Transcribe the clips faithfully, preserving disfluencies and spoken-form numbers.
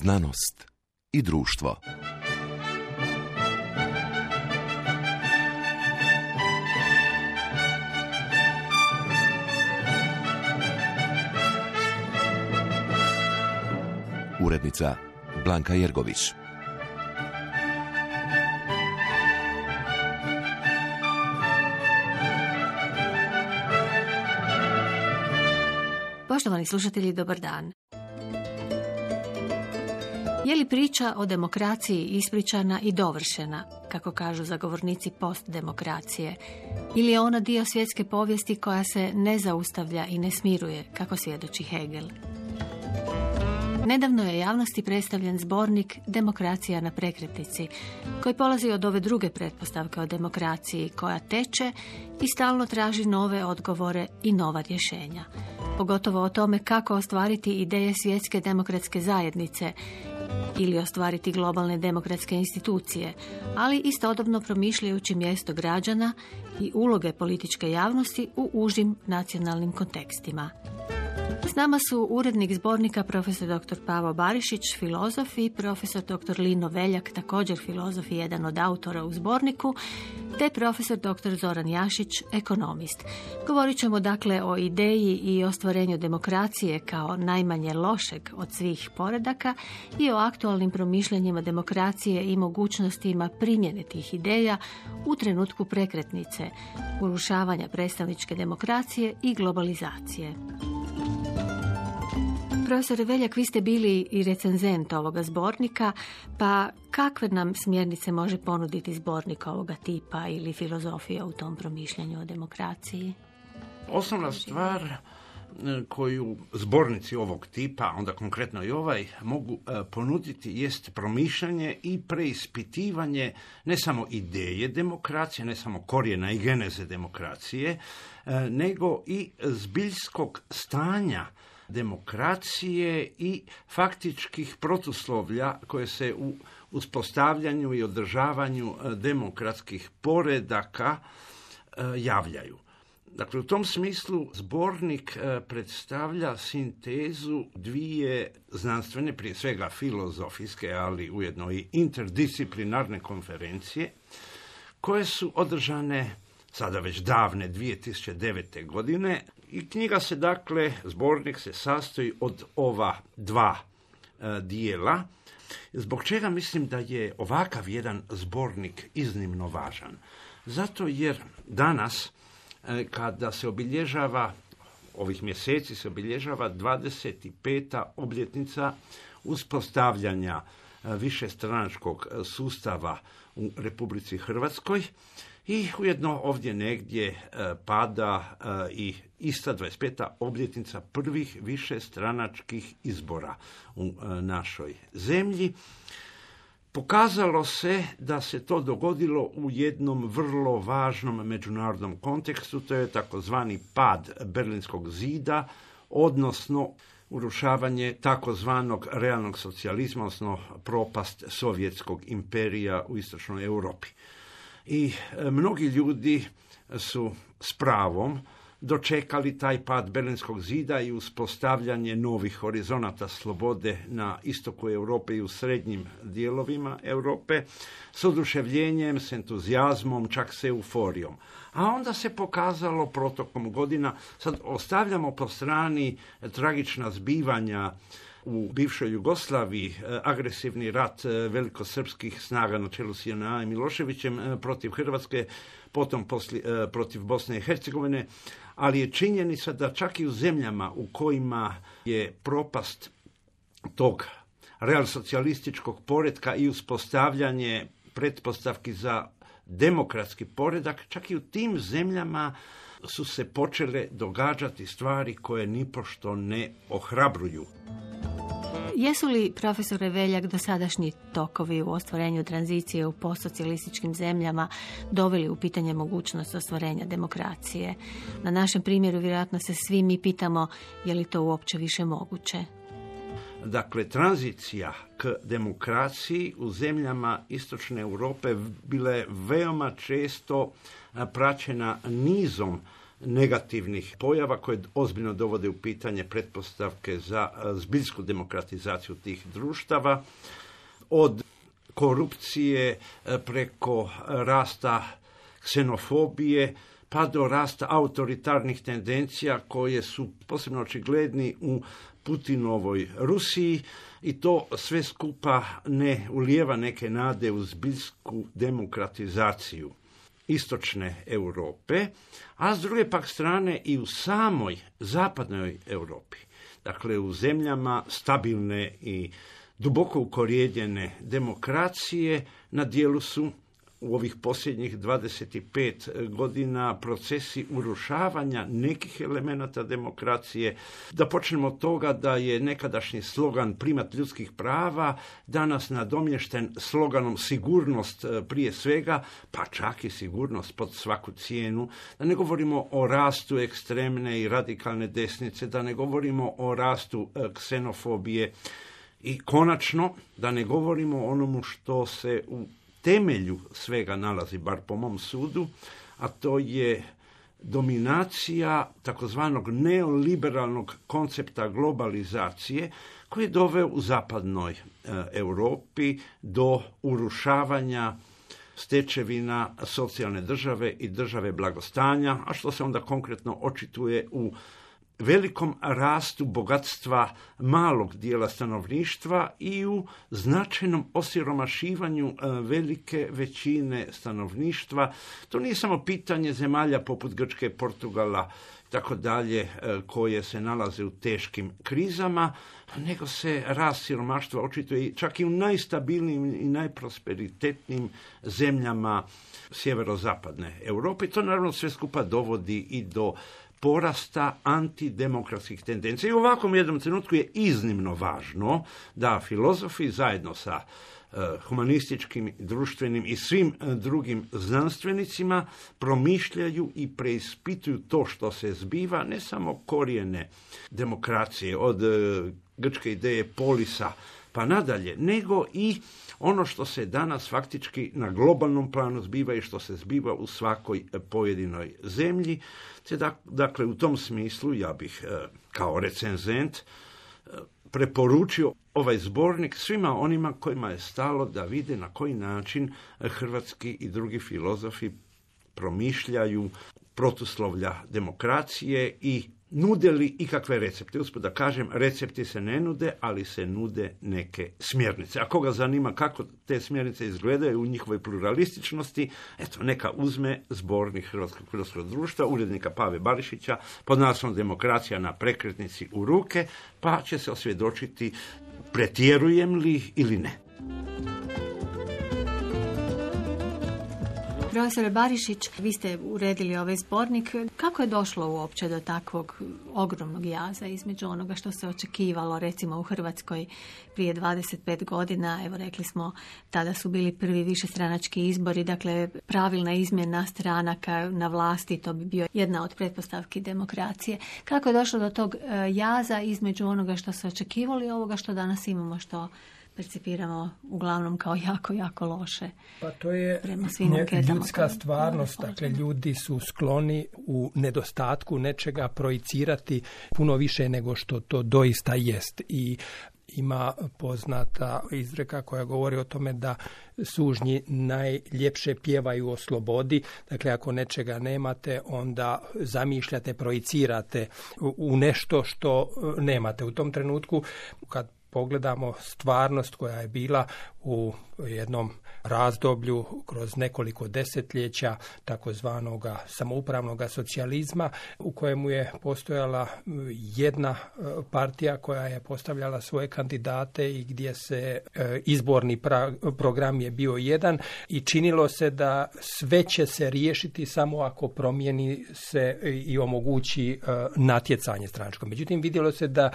Znanost i društvo. Urednica Blanka Jergović. Poštovani slušatelji, dobar dan. Je li priča o demokraciji ispričana i dovršena, kako kažu zagovornici postdemokracije, ili je ona dio svjetske povijesti koja se ne zaustavlja i ne smiruje, kako svjedoči Hegel? Nedavno je javnosti predstavljen zbornik Demokracija na prekretnici, koji polazi od ove druge pretpostavke o demokraciji, koja teče i stalno traži nove odgovore i nova rješenja. Pogotovo o tome kako ostvariti ideje svjetske demokratske zajednice ili ostvariti globalne demokratske institucije, ali istodobno promišljajući mjesto građana i uloge političke javnosti u užim nacionalnim kontekstima. S nama su urednik zbornika profesor doktor Pavo Barišić, filozof, i profesor doktor Lino Veljak, također filozof i jedan od autora u zborniku, te profesor doktor Zoran Jašić, ekonomist. Govorit ćemo dakle o ideji i ostvarenju demokracije kao najmanje lošeg od svih poredaka i o aktualnim promišljanjima demokracije i mogućnostima primjene tih ideja u trenutku prekretnice, urušavanja predstavničke demokracije i globalizacije. Profesore Veljak, vi ste bili i recenzent ovoga zbornika, pa kakve nam smjernice može ponuditi zbornik ovoga tipa ili filozofija u tom promišljanju o demokraciji? Osnovna stvar koju zbornici ovog tipa, onda konkretno i ovaj, mogu ponuditi jest promišljanje i preispitivanje ne samo ideje demokracije, ne samo korijena i geneze demokracije, nego i zbiljskog stanja demokracije i faktičkih protuslovlja koje se u uspostavljanju i održavanju demokratskih poredaka javljaju. Dakle, u tom smislu zbornik predstavlja sintezu dvije znanstvene, prije svega filozofijske, ali ujedno i interdisciplinarne konferencije, koje su održane sada već davne dvije tisuće devete. godine i knjiga se, dakle, zbornik se sastoji od ova dva e, dijela, zbog čega mislim da je ovakav jedan zbornik iznimno važan. Zato jer danas, e, kada se obilježava, ovih mjeseci se obilježava dvadeset peta obljetnica uspostavljanja e, višestranačkog sustava u Republici Hrvatskoj, i ujedno ovdje negdje e, pada e, i ista dvadeset peta obljetnica prvih višestranačkih izbora u e, našoj zemlji. Pokazalo se da se to dogodilo u jednom vrlo važnom međunarodnom kontekstu, to je takozvani pad Berlinskog zida, odnosno urušavanje takozvanog realnog socijalizma, odnosno propast sovjetskog imperija u istočnoj Europi. I mnogi ljudi su s pravom dočekali taj pad Berlinskog zida i uspostavljanje novih horizonata slobode na istoku Europe i u srednjim dijelovima Europe s oduševljenjem, s entuzijazmom, čak s euforijom. A onda se pokazalo protokom godina, sad ostavljamo po strani tragična zbivanja u bivšoj Jugoslaviji, agresivni rat velikosrpskih snaga na čelu s J N A i Miloševićem protiv Hrvatske, potom posli, protiv Bosne i Hercegovine, ali je činjenica da čak i u zemljama u kojima je propast tog realsocijalističkog poretka i uspostavljanje pretpostavki za demokratski poredak, čak i u tim zemljama su se počele događati stvari koje nipošto ne ohrabruju. Jesu li, profesore Veljak, dosadašnji tokovi u ostvarenju tranzicije u postsocijalističkim zemljama doveli u pitanje mogućnost ostvarenja demokracije? Na našem primjeru vjerojatno se svi mi pitamo je li to uopće više moguće? Dakle, tranzicija k demokraciji u zemljama istočne Europe bila je veoma često praćena nizom negativnih pojava koje ozbiljno dovode u pitanje pretpostavke za zbiljsku demokratizaciju tih društava, od korupcije preko rasta ksenofobije pa do rasta autoritarnih tendencija koje su posebno očigledni u Putinovoj Rusiji i to sve skupa ne ulijeva neke nade u zbiljsku demokratizaciju istočne Europe, a s druge pak strane i u samoj zapadnoj Europi, dakle u zemljama stabilne i duboko ukorijenjene demokracije, na dijelu su u ovih posljednjih dvadeset pet godina procesi urušavanja nekih elemenata demokracije. Da počnemo od toga da je nekadašnji slogan primat ljudskih prava danas nadomješten sloganom sigurnost prije svega, pa čak i sigurnost pod svaku cijenu. Da ne govorimo o rastu ekstremne i radikalne desnice, da ne govorimo o rastu ksenofobije i konačno da ne govorimo o onomu što se u temelju svega nalazi, bar po mom sudu, a to je dominacija takozvanog neoliberalnog koncepta globalizacije koji je doveo u zapadnoj e, Europi do urušavanja stečevina socijalne države i države blagostanja, a što se onda konkretno očituje u velikom rastu bogatstva malog dijela stanovništva i u značajnom osiromašivanju velike većine stanovništva. To nije samo pitanje zemalja poput Grčke, Portugala, tako dalje, koje se nalaze u teškim krizama, nego se rast siromaštva očituje čak i u najstabilnijim i najprosperitetnijim zemljama sjeverozapadne Europe. To naravno sve skupa dovodi i do porasta antidemokratskih tendencija. I u ovakvom jednom trenutku je iznimno važno da filozofi zajedno sa uh, humanističkim, društvenim i svim uh, drugim znanstvenicima promišljaju i preispituju to što se zbiva, ne samo korijene demokracije od uh, grčke ideje polisa pa nadalje, nego i ono što se danas faktički na globalnom planu zbiva i što se zbiva u svakoj pojedinoj zemlji. Te dakle, u tom smislu ja bih kao recenzent preporučio ovaj zbornik svima onima kojima je stalo da vide na koji način hrvatski i drugi filozofi promišljaju protuslovlja demokracije i nude li ikakve recepte. Usput da kažem, recepti se ne nude, ali se nude neke smjernice. A koga zanima kako te smjernice izgledaju u njihovoj pluralističnosti, eto, neka uzme zbornik Hrvatskog filozofskog društva, urednika Pave Barišića, pod naslovom Demokracija na prekretnici u ruke, pa će se osvjedočiti pretjerujem li ili ne. Profesore Barišić, vi ste uredili ovaj zbornik. Kako je došlo uopće do takvog ogromnog jaza između onoga što se očekivalo, recimo u Hrvatskoj prije dvadeset pet godina, evo rekli smo, tada su bili prvi višestranački izbori, dakle pravilna izmjena stranaka na vlasti, to bi bio jedna od pretpostavki demokracije. Kako je došlo do tog jaza između onoga što se očekivalo i ovoga što danas imamo, što percipiramo uglavnom kao jako, jako loše? Pa to je ljudska stvarnost, dakle ljudi su skloni u nedostatku nečega projicirati puno više nego što to doista jest. I ima poznata izreka koja govori o tome da sužnji najljepše pjevaju o slobodi. Dakle, ako nečega nemate, onda zamišljate, projicirate u nešto što nemate. U tom trenutku, kad pogledamo stvarnost koja je bila u jednom razdoblju kroz nekoliko desetljeća takozvanog samoupravnog socijalizma, u kojemu je postojala jedna partija koja je postavljala svoje kandidate i gdje se izborni pra- program je bio jedan i činilo se da sve će se riješiti samo ako promijeni se i omogući natjecanje stranačko. Međutim, vidjelo se da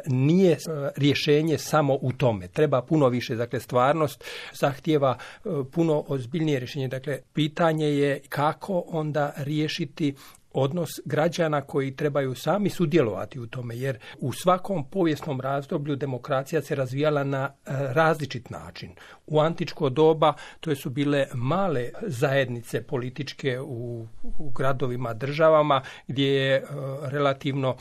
nije rješenje samo u tome. Treba puno više. Dakle, stvarnost zahtijeva puno ozbiljnije rješenje. Dakle, pitanje je kako onda riješiti odnos građana koji trebaju sami sudjelovati u tome, jer u svakom povijesnom razdoblju demokracija se razvijala na različit način. U antičko doba to su bile male zajednice političke u, u gradovima, državama, gdje je relativno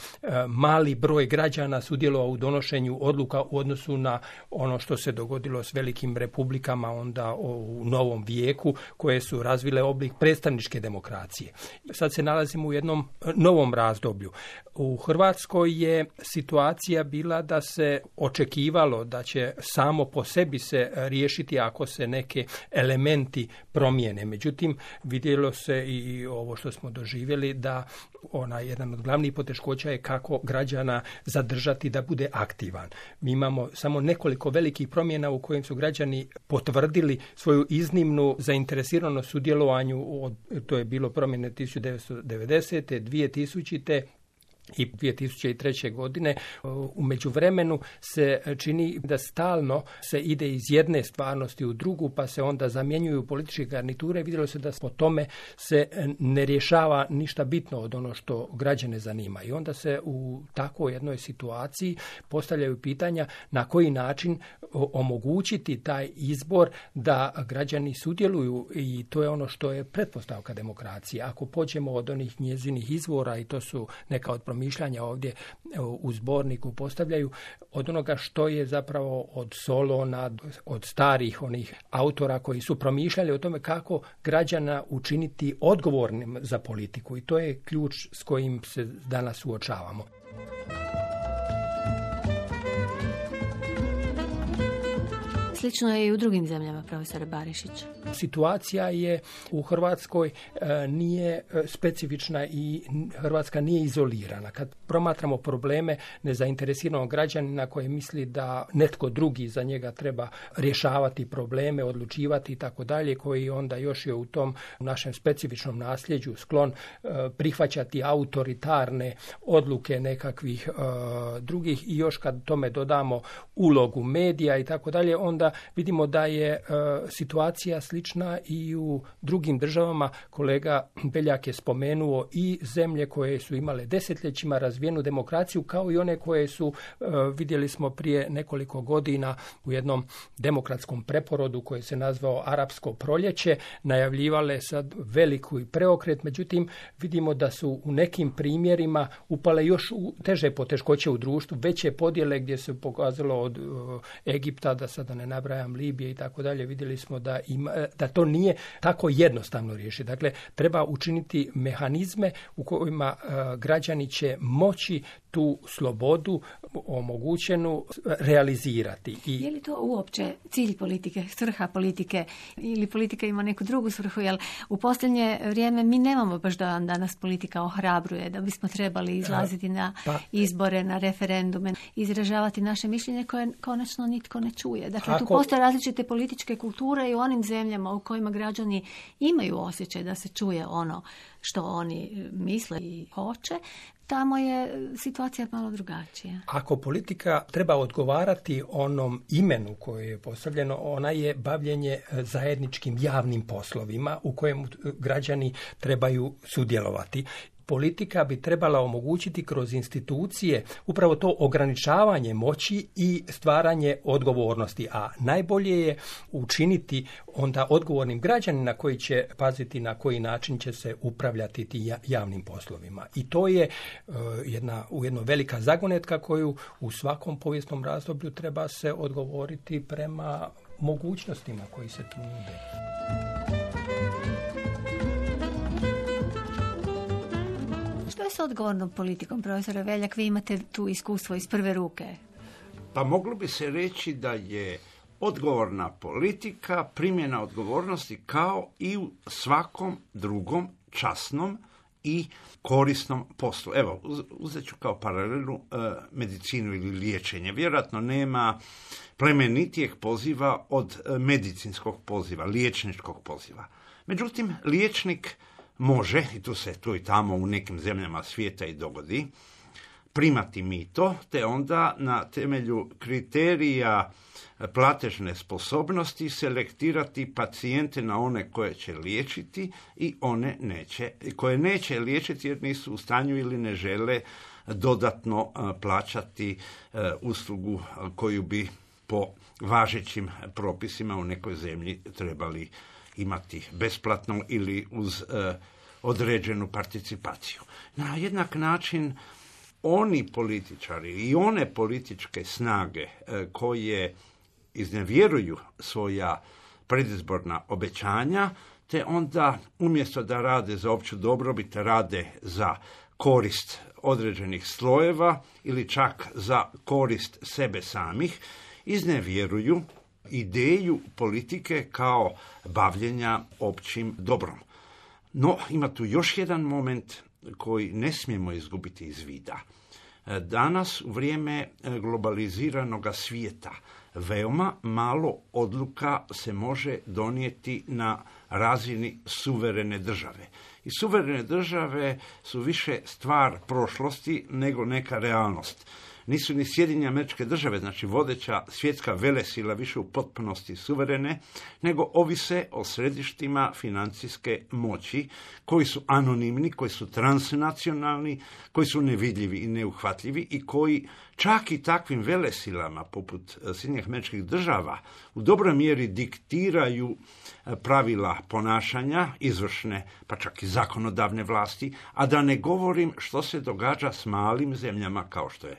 mali broj građana sudjelovao u donošenju odluka u odnosu na ono što se dogodilo s velikim republikama onda u novom vijeku, koje su razvile oblik predstavničke demokracije. Sad se nalazimo u jednom novom razdoblju. U Hrvatskoj je situacija bila da se očekivalo da će samo po sebi se riješiti ako se neke elementi promijene. Međutim, vidjelo se i ovo što smo doživjeli da ona jedan od glavnih poteškoća je kako građana zadržati da bude aktivan. Mi imamo samo nekoliko velikih promjena u kojim su građani potvrdili svoju iznimnu zainteresiranost sudjelovanju, od, to je bilo promjene tisuću devetsto devedesete. dvije tisućite. i dvije tisuće treće. godine. U međuvremenu se čini da stalno se ide iz jedne stvarnosti u drugu, pa se onda zamjenjuju političke garniture. Vidjelo se da po tome se ne rješava ništa bitno od ono što građane zanima. I onda se u takvoj jednoj situaciji postavljaju pitanja na koji način omogućiti taj izbor da građani sudjeluju, i to je ono što je pretpostavka demokracije. Ako pođemo od onih njezinih izvora, i to su neka od promišljanja ovdje u zborniku postavljaju, od onoga što je zapravo od Solona, od starih onih autora koji su promišljali o tome kako građana učiniti odgovornim za politiku, i to je ključ s kojim se danas suočavamo. Slično je i u drugim zemljama, profesore Barišić. Situacija je u Hrvatskoj e, nije specifična i Hrvatska nije izolirana. Kad promatramo probleme nezainteresiranog građanina koji misli da netko drugi za njega treba rješavati probleme, odlučivati i tako dalje, koji onda još je u tom našem specifičnom nasljeđu sklon e, prihvaćati autoritarne odluke nekakvih e, drugih, i još kad tome dodamo ulogu medija i tako dalje, onda vidimo da je e, situacija slična i u drugim državama. Kolega Beljak je spomenuo i zemlje koje su imale desetljećima razvijenu demokraciju, kao i one koje su, e, vidjeli smo prije nekoliko godina u jednom demokratskom preporodu koji se nazvao Arapsko proljeće, najavljivale sad veliku i preokret. Međutim, vidimo da su u nekim primjerima upale još u teže poteškoće u društvu, veće podjele, gdje se pokazalo od e, Egipta, da sada ne nabrajam, Libije i tako dalje. Vidjeli smo da ima, da to nije tako jednostavno riješiti. Dakle, treba učiniti mehanizme u kojima uh, građani će moći tu slobodu omogućenu realizirati. I je li to uopće cilj politike, svrha politike, ili politika ima neku drugu svrhu? Jer u posljednje vrijeme mi nemamo baš da vam danas politika ohrabruje, da bismo trebali izlaziti na pa, izbore, na referendume, izražavati naše mišljenje koje konačno nitko ne čuje. Dakle, ako tu postoje različite političke kulture i u onim zemljama u kojima građani imaju osjećaj da se čuje ono što oni misle i hoće, tamo je situacija malo drugačija. Ako politika treba odgovarati onom imenu koje je postavljeno, ona je bavljenje zajedničkim javnim poslovima u kojem građani trebaju sudjelovati. Politika bi trebala omogućiti kroz institucije upravo to ograničavanje moći i stvaranje odgovornosti, a najbolje je učiniti onda odgovornim građanina koji će paziti na koji način će se upravljati ti javnim poslovima. I to je uh, jedna ujedno velika zagonetka koju u svakom povijesnom razdoblju treba se odgovoriti prema mogućnostima koji se tu nude. Što je s odgovornom politikom, profesore Beljak? Vi imate tu iskustvo iz prve ruke. Pa moglo bi se reći da je odgovorna politika primjena odgovornosti kao i u svakom drugom časnom i korisnom poslu. Evo, uzet ću kao paralelu e, medicinu ili liječenje. Vjerojatno nema plemenitijeg poziva od e, medicinskog poziva, liječničkog poziva. Međutim, liječnik može, i tu se tu i tamo u nekim zemljama svijeta i dogodi, primati mito, te onda na temelju kriterija platežne sposobnosti selektirati pacijente na one koje će liječiti i one neće, koje neće liječiti jer nisu u stanju ili ne žele dodatno plaćati uslugu koju bi po važećim propisima u nekoj zemlji trebali imati besplatno ili uz određenu participaciju. Na jednak način oni političari i one političke snage koje iznevjeruju svoja predizborna obećanja, te onda umjesto da rade za opću dobrobit, rade za korist određenih slojeva ili čak za korist sebe samih, iznevjeruju ideju politike kao bavljenja općim dobrom. No, ima tu još jedan moment koji ne smijemo izgubiti iz vida. Danas, u vrijeme globaliziranog svijeta, veoma malo odluka se može donijeti na razini suverene države. I suverene države su više stvar prošlosti nego neka realnost. Nisu ni Sjedinjene Američke Države, znači vodeća svjetska velesila, više u potpunosti suverene, nego ovise o središtima financijske moći, koji su anonimni, koji su transnacionalni, koji su nevidljivi i neuhvatljivi i koji čak i takvim velesilama, poput Sjedinjenih Američkih Država, u dobroj mjeri diktiraju pravila ponašanja, izvršne, pa čak i zakonodavne vlasti, a da ne govorim što se događa s malim zemljama kao što je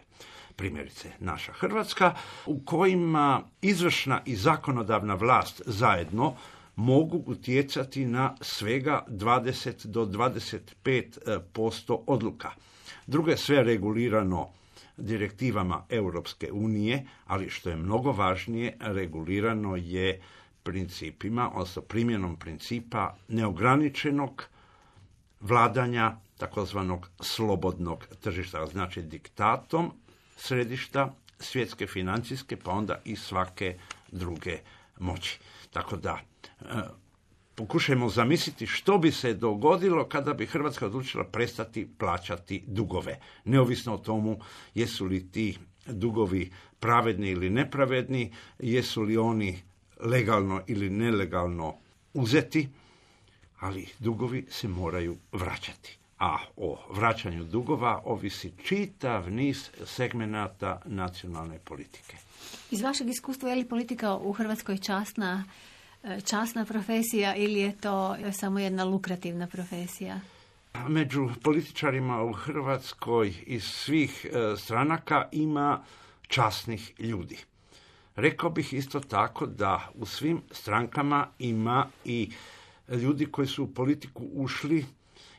primjerice naša Hrvatska, u kojima izvršna i zakonodavna vlast zajedno mogu utjecati na svega dvadeset do dvadeset pet posto odluka. Drugo je sve regulirano direktivama Europske unije, ali što je mnogo važnije, regulirano je principima, odnosno primjenom principa neograničenog vladanja takozvanog slobodnog tržišta, znači diktatom središta svjetske financijske, pa onda i svake druge moći. Tako da, e, pokušajmo zamisliti što bi se dogodilo kada bi Hrvatska odlučila prestati plaćati dugove. Neovisno o tomu jesu li ti dugovi pravedni ili nepravedni, jesu li oni legalno ili nelegalno uzeti, ali dugovi se moraju vraćati. A o vraćanju dugova ovisi čitav niz segmenata nacionalne politike. Iz vašeg iskustva, je li politika u Hrvatskoj časna, časna profesija ili je to samo jedna lukrativna profesija? Među političarima u Hrvatskoj iz svih stranaka ima časnih ljudi. Rekao bih isto tako da u svim strankama ima i ljudi koji su u politiku ušli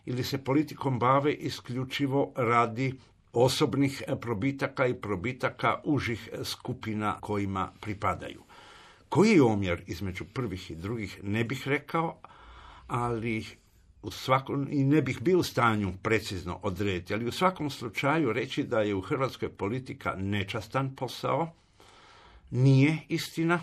ili se politikom bave isključivo radi osobnih probitaka i probitaka užih skupina kojima pripadaju. Koji je omjer između prvih i drugih ne bih rekao, ali u svakom, i ne bih bio u stanju precizno odrediti, ali u svakom slučaju reći da je u Hrvatskoj politika nečastan posao, nije istina,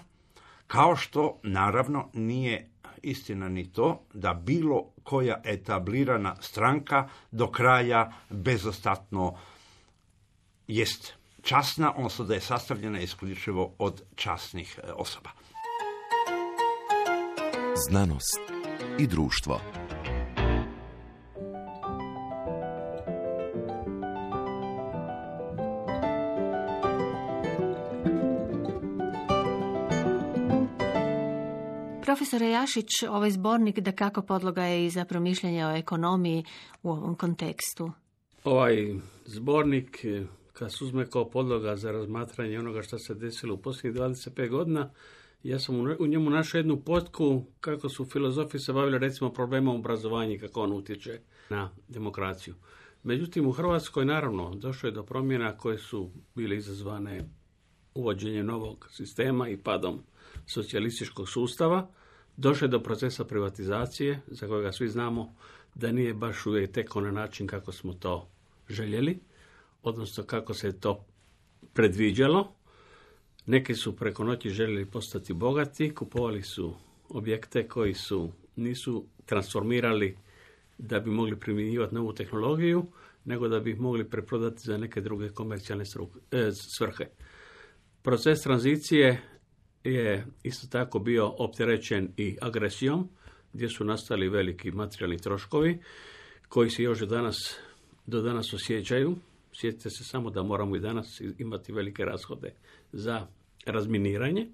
kao što naravno nije istina ni to da bilo koja etablirana stranka do kraja bezostatno jest časna, odnosno da je sastavljena isključivo od časnih osoba. Znanost i društvo. Profesore Jašić, ovaj zbornik dakako podloga je i za promišljanje o ekonomiji u ovom kontekstu. Ovaj zbornik, kad se uzme kao podloga za razmatranje onoga što se desilo u posljednjih dvadeset pet godina, ja sam u njemu našao jednu potku kako su filozofi se bavili recimo problemom obrazovanja i kako on utječe na demokraciju. Međutim, u Hrvatskoj naravno došlo je do promjena koje su bile izazvane uvođenjem novog sistema i padom socijalističkog sustava. Došlo je do procesa privatizacije, za kojega svi znamo da nije baš uvijek tekao na način kako smo to željeli, odnosno kako se to predviđalo. Neki su preko noći željeli postati bogati, kupovali su objekte koji su nisu transformirali da bi mogli primjenjivati novu tehnologiju, nego da bi ih mogli preprodati za neke druge komercijalne e, svrhe. Proces tranzicije je isto tako bio opterećen i agresijom, gdje su nastali veliki materijalni troškovi, koji se još do danas, do danas osjećaju. Sjetite se samo da moramo i danas imati velike rashode za razminiranje.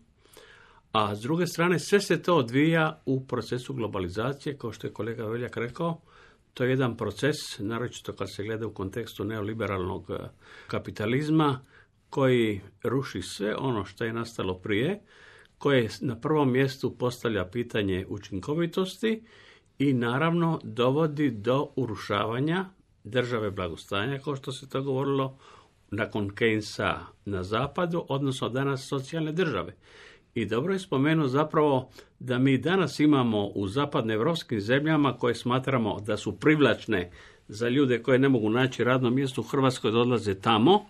A s druge strane, sve se to odvija u procesu globalizacije, kao što je kolega Veljak rekao. To je jedan proces, naročito kad se gleda u kontekstu neoliberalnog kapitalizma, koji ruši sve ono što je nastalo prije, koje na prvom mjestu postavlja pitanje učinkovitosti i naravno dovodi do urušavanja države blagostanja, kao što se to govorilo nakon Keynesa na zapadu, odnosno danas socijalne države. I dobro je spomenuo zapravo da mi danas imamo u zapadnoevropskim zemljama koje smatramo da su privlačne za ljude koje ne mogu naći radno mjesto u Hrvatskoj, da odlaze tamo.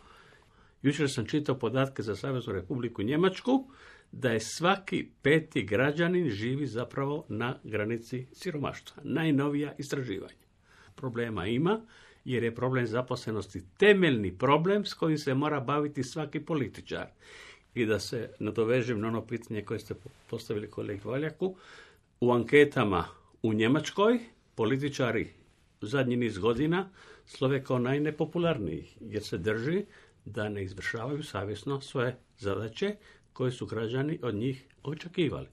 Jučer sam čitao podatke za Saveznu Republiku Njemačku, da je svaki peti građanin živi zapravo na granici siromaštva. Najnovija istraživanja. Problema ima, jer je problem zaposlenosti temeljni problem s kojim se mora baviti svaki političar. I da se nadovežem na ono pitanje koje ste postavili kolegi Valjaku, u anketama u Njemačkoj političari u zadnji niz godina slove kao najnepopularniji, jer se drži da ne izvršavaju savjesno svoje zadaće koje su građani od njih očekivali.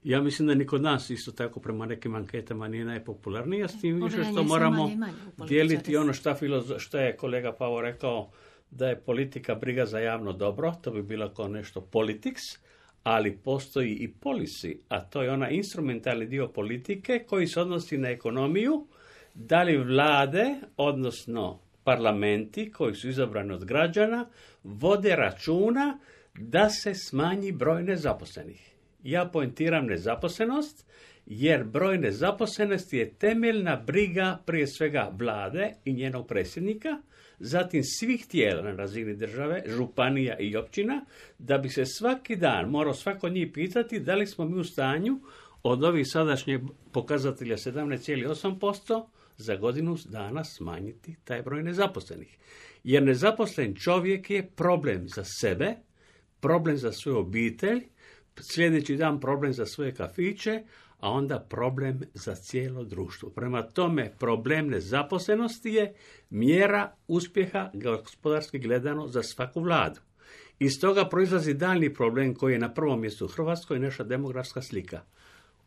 Ja mislim da ni kod nas isto tako prema nekim anketama nije najpopularniji, a s tim više što moramo manje, manje dijeliti ono što, što je kolega Pavo rekao, da je politika briga za javno dobro, to bi bilo kao nešto politics, ali postoji i policy, a to je ona instrumentalni dio politike koji se odnosi na ekonomiju, da li vlade, odnosno parlamenti koji su izabrani od građana, vode računa da se smanji broj nezaposlenih. Ja poentiram nezaposlenost, jer broj nezaposlenosti je temeljna briga prije svega vlade i njenog predsjednika, zatim svih tijela na razini države, županija i općina, da bi se svaki dan morao svako od njih pitati da li smo mi u stanju od ovih sadašnjih pokazatelja sedamnaest zarez osam posto za godinu dana smanjiti taj broj nezaposlenih. Jer nezaposlen čovjek je problem za sebe, problem za svoju obitelj, sljedeći dan problem za svoje kafiće, a onda problem za cijelo društvo. Prema tome, problem nezaposlenosti je mjera uspjeha gospodarski gledano za svaku vladu. Iz toga proizlazi daljni problem koji je na prvom mjestu u Hrvatskoj, naša demografska slika.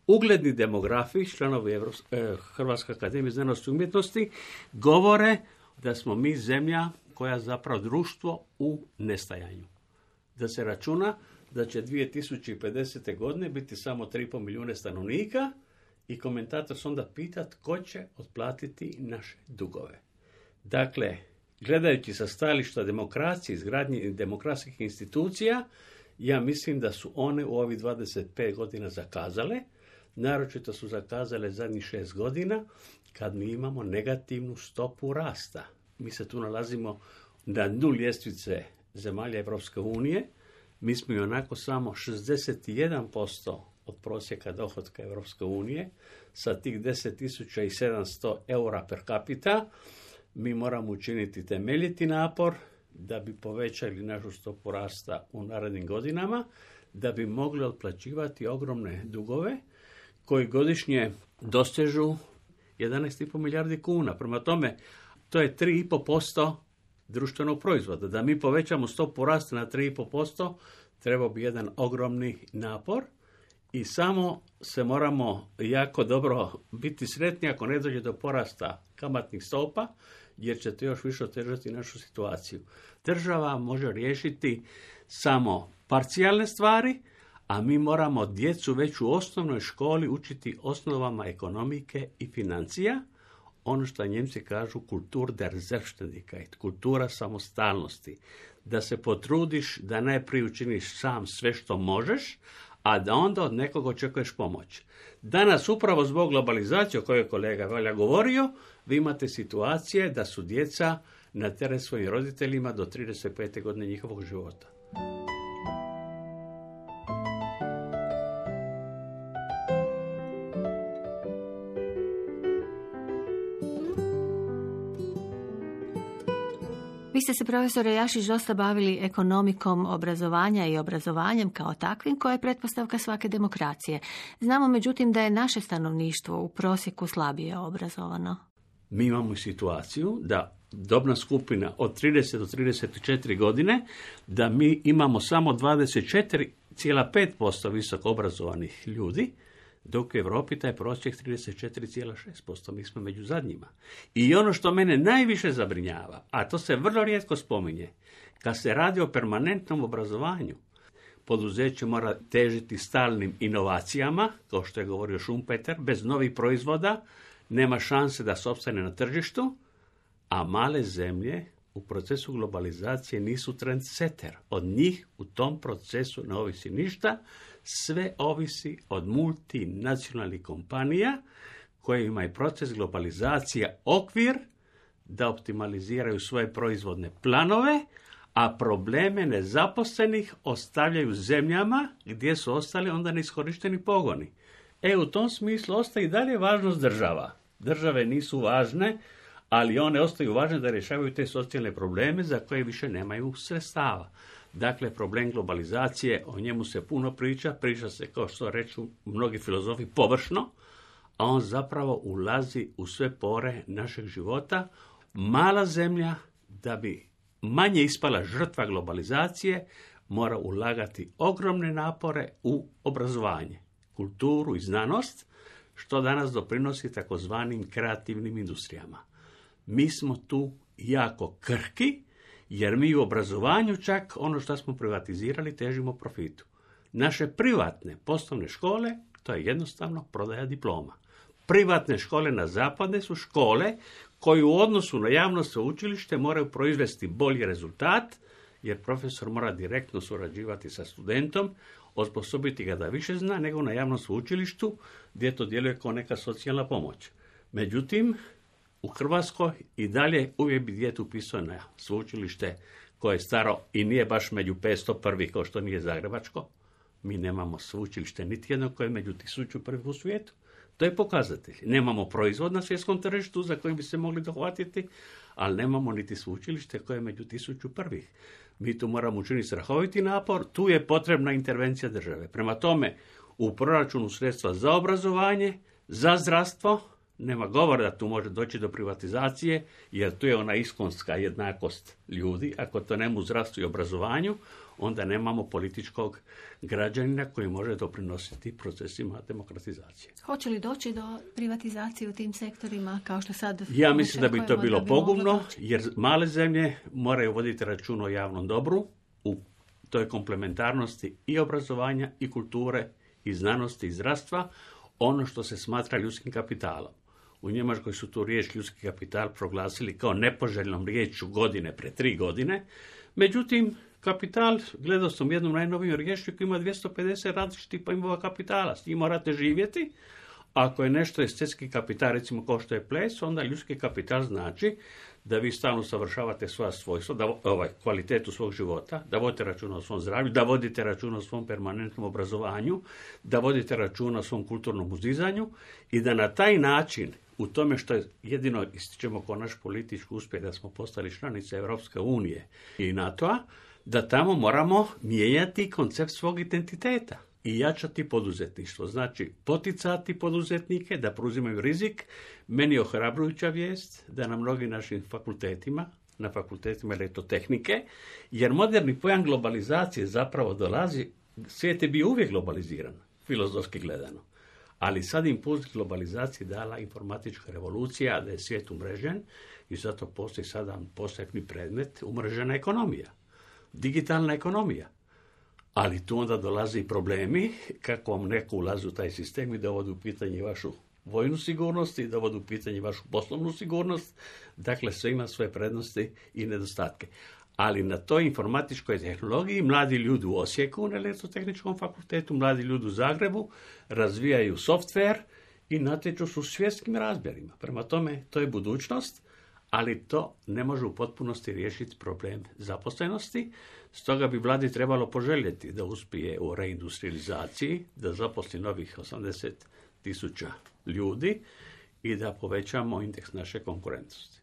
Ugledni demografi, članovi Evropske, eh, Hrvatske akademije znanosti i umjetnosti, govore da smo mi zemlja koja zapravo društvo u nestajanju. Da se računa da će dvije tisuće pedesete. godine biti samo tri i pol milijuna stanovnika i komentator se onda pita tko će otplatiti naše dugove. Dakle, gledajući sa stajališta demokracije, izgradnje demokratskih institucija, ja mislim da su one u ovih dvadeset pet godina zakazale. Naročito su zakazale zadnjih šest godina kad mi imamo negativnu stopu rasta. Mi se tu nalazimo na dnu ljestvice zemalja Evropske unije. Mi smo i onako samo šezdeset jedan posto od prosjeka dohotka Evropske unije sa tih deset tisuća sedamsto eura per capita. Mi moramo učiniti temeljiti napor da bi povećali našu stopu rasta u narednim godinama, da bi mogli otplaćivati ogromne dugove koji godišnje dosežu jedanaest i pol milijardi kuna. Prema tome, to je tri i pol posto društvenog proizvoda. Da mi povećamo stopu rasta na tri i pol posto, treba bi jedan ogromni napor i samo se moramo jako dobro biti sretni ako ne dođe do porasta kamatnih stopa, jer će to još više otežati našu situaciju. Država može riješiti samo parcijalne stvari, a mi moramo djecu već u osnovnoj školi učiti osnovama ekonomike i financija, ono što Njemci kažu kultur der Selbstständigkeit, kultura samostalnosti, da se potrudiš da najprije učiniš sam sve što možeš, a da onda od nekog očekuješ pomoć. Danas, upravo zbog globalizacije o kojoj je kolega Valja govorio, vi imate situacije da su djeca na teret svojim roditeljima do trideset pete. godine njihovog života. Vi ste se, profesore Jašić, dosta bavili ekonomikom obrazovanja i obrazovanjem kao takvim, koja je pretpostavka svake demokracije. Znamo, međutim, da je naše stanovništvo u prosjeku slabije obrazovano. Mi imamo situaciju da dobna skupina od trideset do trideset četiri godine, da mi imamo samo dvadeset četiri zarez pet posto visoko obrazovanih ljudi, dok u Europi taj prosjek trideset četiri zarez šest posto, mi smo među zadnjima. I ono što mene najviše zabrinjava, a to se vrlo rijetko spominje, kad se radi o permanentnom obrazovanju, poduzeće mora težiti stalnim inovacijama, kao što je govorio Schumpeter, bez novih proizvoda nema šanse da se opstane na tržištu, a male zemlje u procesu globalizacije nisu trendsetter. Od njih u tom procesu ne ovisi ništa, sve ovisi od multinacionalnih kompanija koje imaju proces globalizacije okvir da optimaliziraju svoje proizvodne planove, a probleme nezaposlenih ostavljaju zemljama gdje su ostali onda neiskorišteni pogoni. E, u tom smislu ostaje i dalje važnost država. Države nisu važne, ali one ostaju važne da rješavaju te socijalne probleme za koje više nemaju sredstava. Dakle, problem globalizacije, o njemu se puno priča, priča se, kao što reču mnogi filozofi, površno, a on zapravo ulazi u sve pore našeg života. Mala zemlja, da bi manje ispala žrtva globalizacije, mora ulagati ogromne napore u obrazovanje, kulturu i znanost, što danas doprinosi takozvanim kreativnim industrijama. Mi smo tu jako krhki, jer mi u obrazovanju čak ono što smo privatizirali težimo profitu. Naše privatne poslovne škole, to je jednostavno prodaja diploma. Privatne škole na zapadu su škole koje u odnosu na javno sveučilište moraju proizvesti bolji rezultat, jer profesor mora direktno surađivati sa studentom, osposobiti ga da više zna nego na javnom sveučilištu gdje to djeluje kao neka socijalna pomoć. Međutim, u Hrvatskoj i dalje uvijek bi dijete upisao na sveučilište koje je staro i nije baš među petsto prvih, kao što nije zagrebačko. Mi nemamo sveučilište niti jedno koje je među tisuću prvih u svijetu. To je pokazatelj. Nemamo proizvod na svjetskom tržištu za koji bi se mogli dohvatiti, ali nemamo niti sveučilište koje je među tisuću prvih. Mi tu moramo učiniti strahoviti napor, tu je potrebna intervencija države. Prema tome, u proračunu sredstva za obrazovanje, za zdravstvo, nema govora da tu može doći do privatizacije, jer tu je ona iskonska jednakost ljudi. Ako to nema u zdravstvu i obrazovanju, onda nemamo političkog građanina koji može doprinositi procesima demokratizacije. Hoće li doći do privatizacije u tim sektorima kao što sad? Ja mislim da bi to bilo bi pogubno, jer male zemlje moraju voditi račun o javnom dobru u toj komplementarnosti i obrazovanja i kulture i znanosti i zdravstva, ono što se smatra ljudskim kapitalom. U Njemačkoj su tu riječ ljudski kapital proglasili kao nepoželjnom riječju godine pre tri godine. Međutim, kapital, gledao sam jednom najnovijom riječju koji ima dvjesto pedeset različitih pojmova kapitala. S njim morate živjeti. Ako je nešto estetski kapital, recimo kao što je ples, onda ljudski kapital znači da vi stalno savršavate svoja svojstva, da, ovaj, kvalitetu svog života, da vodite računa o svom zdravlju, da vodite računa o svom permanentnom obrazovanju, da vodite računa o svom kulturnom uzdizanju i da na taj način, u tome što je jedino ističemo kao naš politički uspjeh da smo postali članice Europske unije i NATO-a, da tamo moramo mijenjati koncept svog identiteta i jačati poduzetništvo. Znači, poticati poduzetnike da preuzimaju rizik. Meni je ohrabrujuća vijest da na mnogim našim fakultetima, na fakultetima elektrotehnike, jer moderni pojam globalizacije zapravo dolazi, svijet je bio uvijek globaliziran, filozofski gledano. Ali sad impuls globalizacije dala informatička revolucija, da je svijet umrežen i zato postoji sada posebni predmet umrežena ekonomija, digitalna ekonomija. Ali tu onda dolaze i problemi kako vam neko ulazi u taj sistem i dovodi u pitanje vašu vojnu sigurnost i dovodi u pitanje vašu poslovnu sigurnost. Dakle, sve ima svoje prednosti i nedostatke. Ali na toj informatičkoj tehnologiji mladi ljudi u Osijeku na Elektrotehničkom fakultetu, mladi ljudi u Zagrebu razvijaju softver i natječu su u svjetskim razmjerima. Prema tome, to je budućnost, ali to ne može u potpunosti riješiti problem zaposlenosti. Stoga bi vladi trebalo poželjeti da uspije u reindustrializaciji, da zaposli novih osamdeset tisuća ljudi i da povećamo indeks naše konkurentnosti.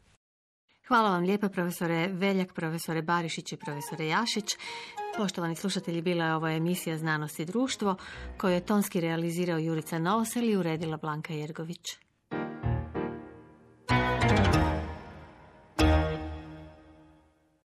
Hvala vam lijepa, profesore Veljak, profesore Barišić i profesore Jašić. Poštovani slušatelji, bila je ovo emisija Znanost i društvo koju je tonski realizirao Jurica Novosel i uredila Blanka Jergović.